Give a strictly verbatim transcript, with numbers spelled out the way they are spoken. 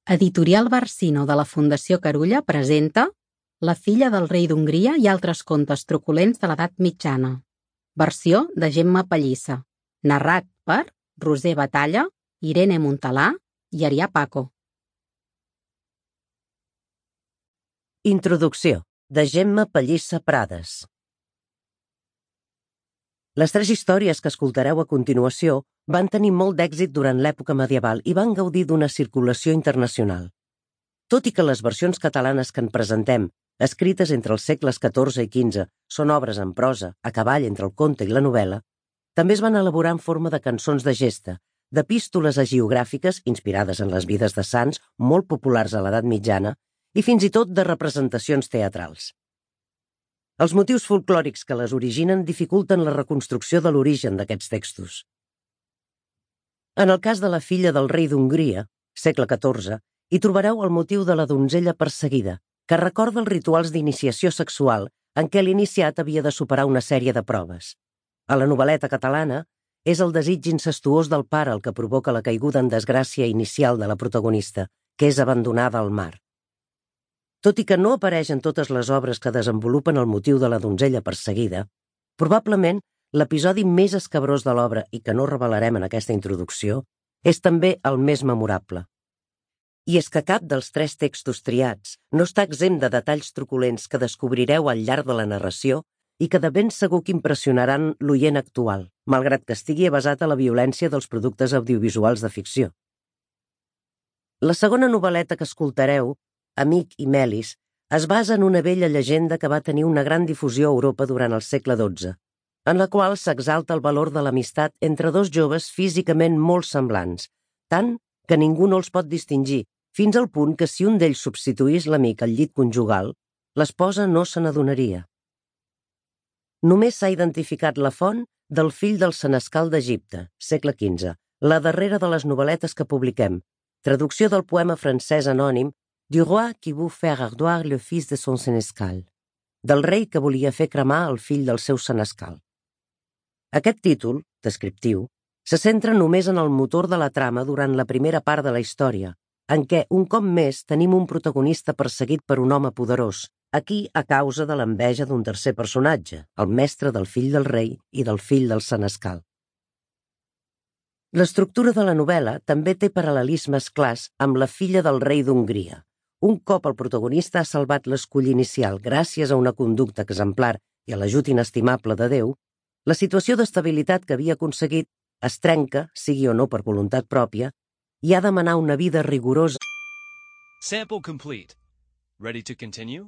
Editorial Barsino de la Fundació Carulla presenta La filla del rei d'Hongria i altres contes truculents de l'edat mitjana. Versió de Gemma Pallissa. Narrat per Roser Batalla, Irene Montalà i Arià Paco. Introducció de Gemma Pallissa Prades. Les tres històries que escoltareu a continuació van tenir molt d'èxit durant l'època medieval i van gaudir d'una circulació internacional. Tot i que les versions catalanes que en presentem, escrites entre els segles catorze i quinze, són obres en prosa, a cavall entre el conte i la novel·la, també es van elaborar en forma de cançons de gesta, d'epístoles hagiogràfiques inspirades en les vides de sants, molt populars a l'edat mitjana, i fins i tot de representacions teatrals. Els motius folclòrics que les originen dificulten la reconstrucció de l'origen d'aquests textos. En el cas de la filla del rei d'Hongria, segle catorze, hi trobareu el motiu de la donzella perseguida, que recorda els rituals d'iniciació sexual en què l'iniciat havia de superar una sèrie de proves. A la novel·leta catalana, és el desig incestuós del pare el que provoca la caiguda en desgràcia inicial de la protagonista, que és abandonada al mar. Tot i que no apareix en totes les obres que desenvolupen el motiu de la donzella perseguida, probablement l'episodi més escabrós de l'obra i que no revelarem en aquesta introducció és també el més memorable. I és que cap dels tres textos triats no està exempt de detalls truculents que descobrireu al llarg de la narració i que de ben segur que impressionaran l'oient actual, malgrat que estigui basat a la violència dels productes audiovisuals de ficció. La segona novel·leta que escoltareu, Amic i Melis, es basa en una vella llegenda que va tenir una gran difusió a Europa durant el segle dotze, en la qual s'exalta el valor de l'amistat entre dos joves físicament molt semblants, tant que ningú no els pot distingir, fins al punt que si un d'ells substituís l'amic al llit conjugal, l'esposa no se n'adonaria. Només s'ha identificat la font del fill del senescal d'Egipte, segle quinze, la darrera de les novel·letes que publiquem, traducció del poema francès anònim Du roi qui veut faire ardoir le fils de son senescal, del rei que volia fer cremar el fill del seu senescal. Aquest títol, descriptiu, se centra només en el motor de la trama durant la primera part de la història, en què, un cop més, tenim un protagonista perseguit per un home poderós, aquí a causa de l'enveja d'un tercer personatge, el mestre del fill del rei i del fill del senescal. L'estructura de la novel·la també té paral·lelismes clars amb La filla del rei d'Hongria. Un cop el protagonista ha salvat l'escull inicial gràcies a una conducta exemplar i a l'ajut inestimable de Déu, la situació d'estabilitat que havia aconseguit es trenca, sigui o no per voluntat pròpia, i ha de manar una vida rigorosa. Sample complete. Ready to continue?